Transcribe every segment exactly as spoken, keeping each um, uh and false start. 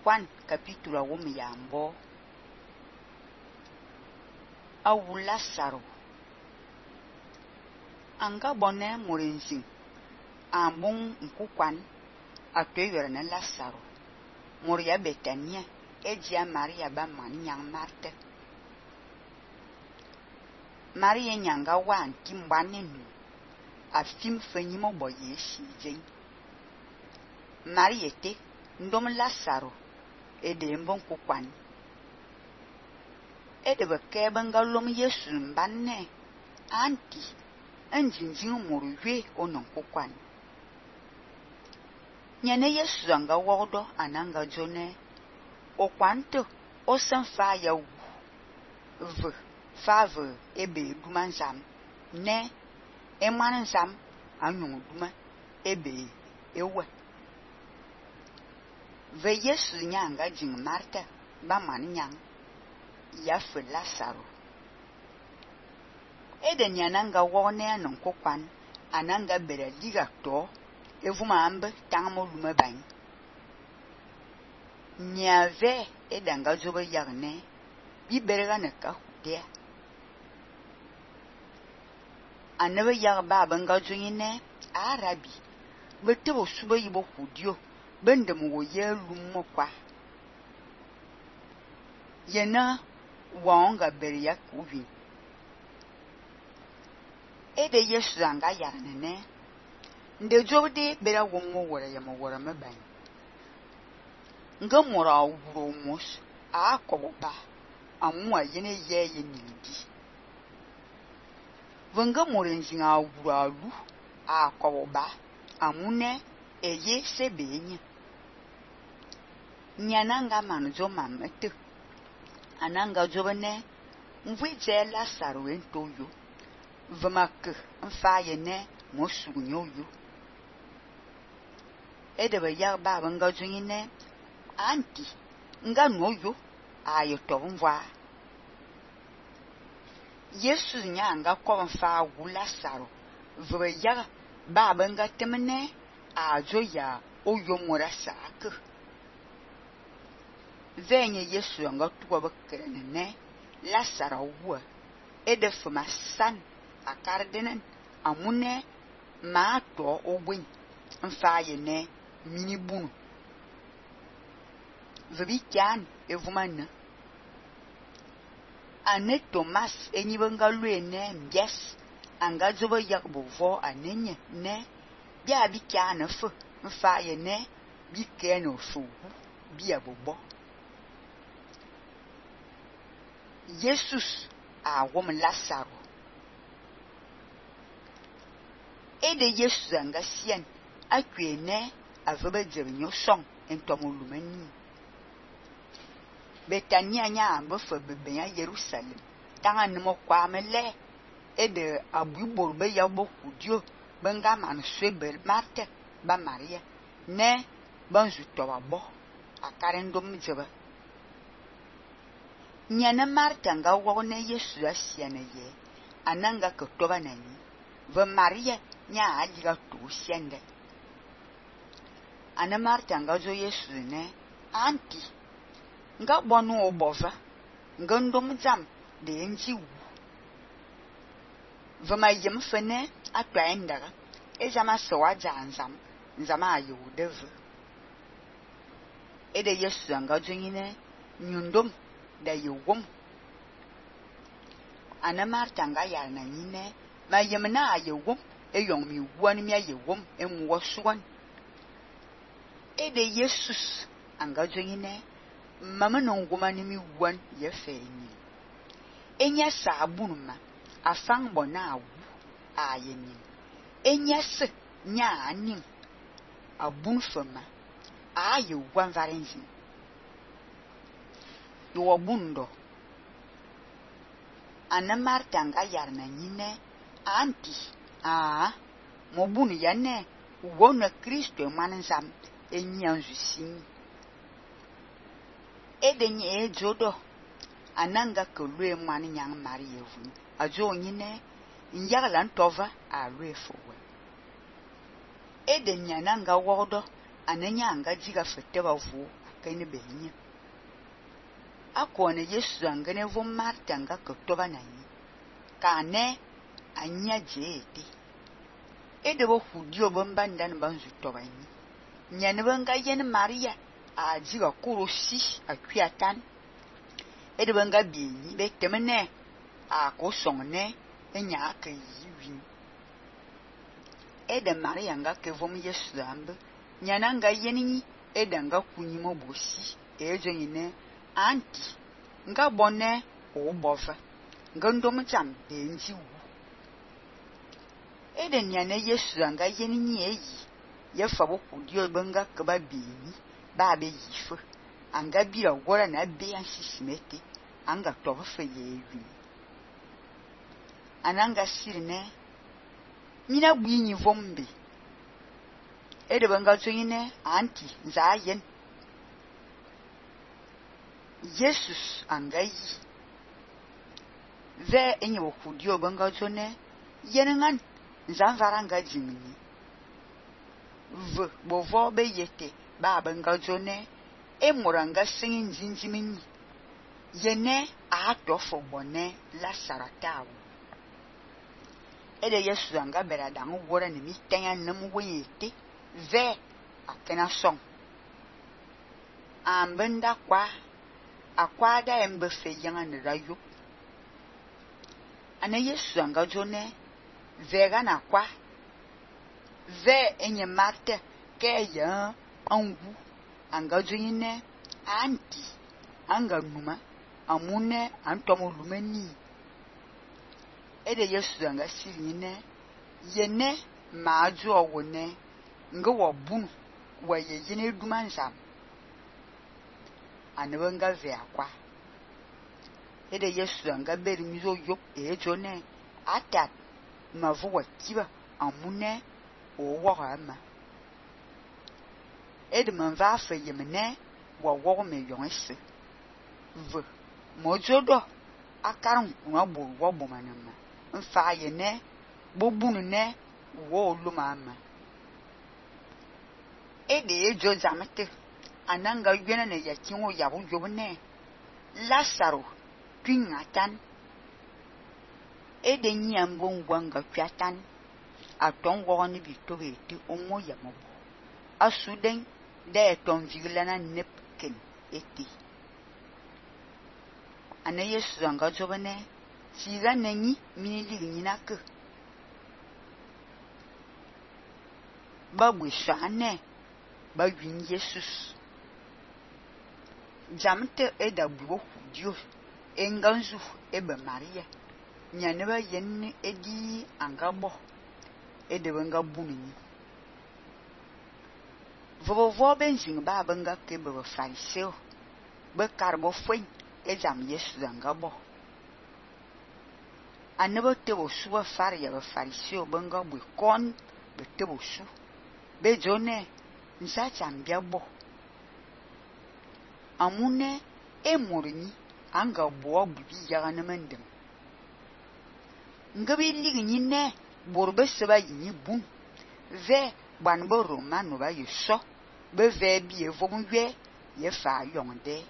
Juan capítulo wum yambo awu Lazaro anga bonne morinzin ambon nkukwan atweyere na Lazaro moria Betania ejia Maria ba man nyang Marthe Maria nyanga wan kimbanenu afim fenyimo boye shijin Maria te ndom Lazaro ede mbon kukwan ede bekebe ngalom Yesu mbanne anti anjinjin moruwe onon kukwan nyane Yesu anga wodo ananga jone okwanto osan fa ya wu v fave ebe dumanzam ne emanzam anyong duma ebe ewe ve Yesu nyanga jing Martha ba man nyang ya fe Lazaro ede nyananga wone anon kokwan ananga bere liga to evuma ambe tangmo lume bany nyave edanga jobe yagne bi berega ne ka hudia anabe yag baba nga joyine arabi betebo suba yibo hudio bende mo ye lumo kwa yena wonga bere ya kubi ede Yesu anga yarne nde jobde bera wongo wora ya mo wora me bany nga mora wuro mos a koba amwa yene ye ye nindi vanga morenjin a wuro alu a koba amune eye sebenye nyananga manjo mamete ananga jobene mvije Lazaro entoyo vmak mfaye ne mosunyo yo edebe ya baba nga joyine anti nga noyo ayo to mva Yesu nyanga ko mfa wu Lazaro vwe ya baba nga temne ajo ya oyo morasa ak venye Yesu nga tuwa bekrene Lazaro wo edef masan akardenen amune ma to obwin mfaye ne minibunu vebi kyan evumana ane Thomas enyibenga luene mbies anga jobo yakbovo anenye ne bia bi kyan fe mfaye ne bi keno fu bia bobo Jesus a wom Lazaro ede Yesu anga sien akwene avebe jernyo song entomolumeni Betania nya ambo fe bebe ya Jerusalem tanga nimo kwa mele ede abubor be ya bo kudio benga man swebel Marthe ba Maria ne banzu to babo akarendom jeba nyana Martha nga wone Yesu asiane ye ananga ko toba nani ve Maria nya ajiga to siende ana Martha nga jo Yesu ne anti nga bonu obova nga ndom jam de nji wu vama yem fene atwa ndaga ejama so waja nzam nzama ayu dev ede Yesu nga jo nyine nyundom da yewom ana Martha nga yar na nyine ma yem na ayewom eyong mi wani mi ayewom enwo suwan ede Jesus anga jo nyine mama no ngoma ni mi wan ye fenyi enya sabunuma afang bona awu ayeni enya se nya anim abun fama aye wan varenzi yo bundo ana Martha nga yarna nyine anti ah mo bunu yane wona Kristo manzam enyanzu sin edenye ejodo ananga kolwe mani nyang Maria vun ajo nyine nyagala ntova alwe fowe edenya nanga wodo ananya anga diga fete ba vo kene benye akone Yesu angene vo Marta anga kotoba nanyi kane anya jeti ede bo hudio bomba ndan banzu toba nyi nyane banga yen Maria a diga kurosi akwiatan ede banga bienyi be temene a ko songne enya aka yiwi ede Maria nga ke vom Yesu ambe nyana nga yenini ede nga kunyi mo bosi ejo nyine anti nga bonne o bofa nga ndom cham de nji wu ede nyane Yesu anga yenini eyi ye fabo kudio banga ke ba bienyi ba be yifu anga bira wora na be ansisimete anga tofe yewi ananga sirne mina bwinyi vombe ede banga tsonyine anti nzayen Jesus angayi ve enye bokudio banga tsone yenengan nzanvaranga jimini v bovo be yete ba banga tsone emuranga singin jinjimini yene a tofo bone la saratawo ede Yesu anga bera dangu wora ni mi tenya namu weyete ve akena song ambenda kwa akwada embe fe yanga ne rayo ana Yesu anga jone vega na kwa ve enye Marta ke ya angu anga jine anti anga numa amune antomo lumeni ede Yesu anga sirine yene maaju owone nga wabunu wa yeyine dumansam anabanga ve akwa ede Yesu anga beri mizo yok ejone atat mavu wakiba amune owo ama ede manva fa yemene wa wo me yonse v mojodo akaran kuna bo wo bo manama mfa yene bobunu ne wo lumama ede ejo zamete ananga yena ne yakinwo yabu yobne Lazaro twingatan ede nyambo ngwanga kwatan aton woni bitobe ti omo yamobo asuden de ton vigilana nepken eti ana Yesu anga jobane siga nenyi minili nyinake babu shane ba yin Jesus jamte eda buo dio enganzu ebe Maria nyane ba yen edi angabo ede banga bunni vovo benzing ba banga ke be fariseo be karbo fwen e jam Yesu angabo anebo te bo suwa faria be fariseo banga bu kon be te bo su be jone nsa chambia bo amune e morini anga bo bubi yaga na mandem ngabi ligi nyine borbe seba yini bun ve banbo romano ba yeso be ve bi evomwe ye fa yonde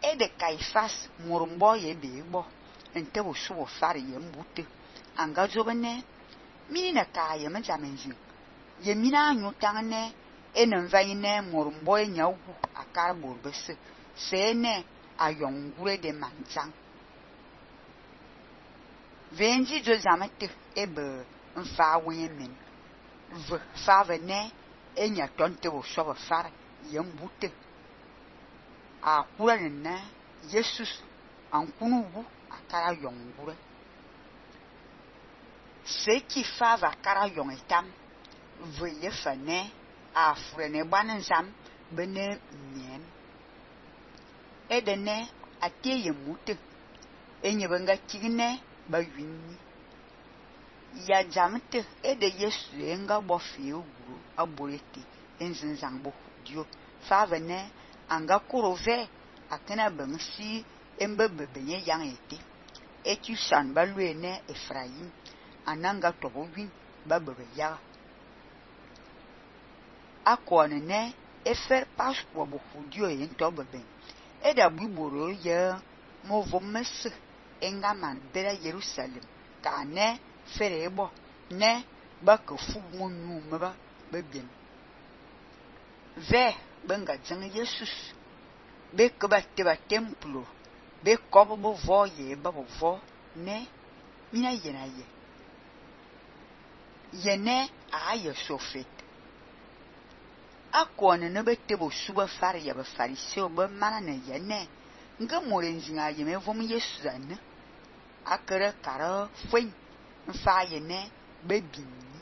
e de Kaifas morumbo ye be bo ente bo su bo fari ye mbute anga jobene mini na ka ye manjamenji ye mina anyu tangne enen vayine morumbo e nyawu akara borbe se sene ayongure de manjang venji jo zamete ebe mfa wemen v fa vene enya tonte bo so far yembute a kura na Jesus ankunu bu akara yongure se ki fa va kara yongetam v ye fane a frene banensam bene nyen edene ateye mute enye banga tigine ba winni ya jamte ede Yesu enga bofi uguru aborete enzenzang bo dio favene anga kurove akena bangsi embebe benye yang ete etu san baluene Efraim ananga tobo win babebe ya akone ne efer passport bo fudio yen to beben e da biboro ye mo vomese engaman bera Jerusalem ka ne ferebo ne ba ke fu mo nu meba bebien ve benga jeng Jesus be ke ba te ba templo be ko bo vo ye ba bo vo ne mina yena ye yene a ye sofet akone ne bete bo suba far ya ba fariseo ba mana ne yene nga morenzinga ye me vom Yesu ane akere kara fwen mfa ye ne be bin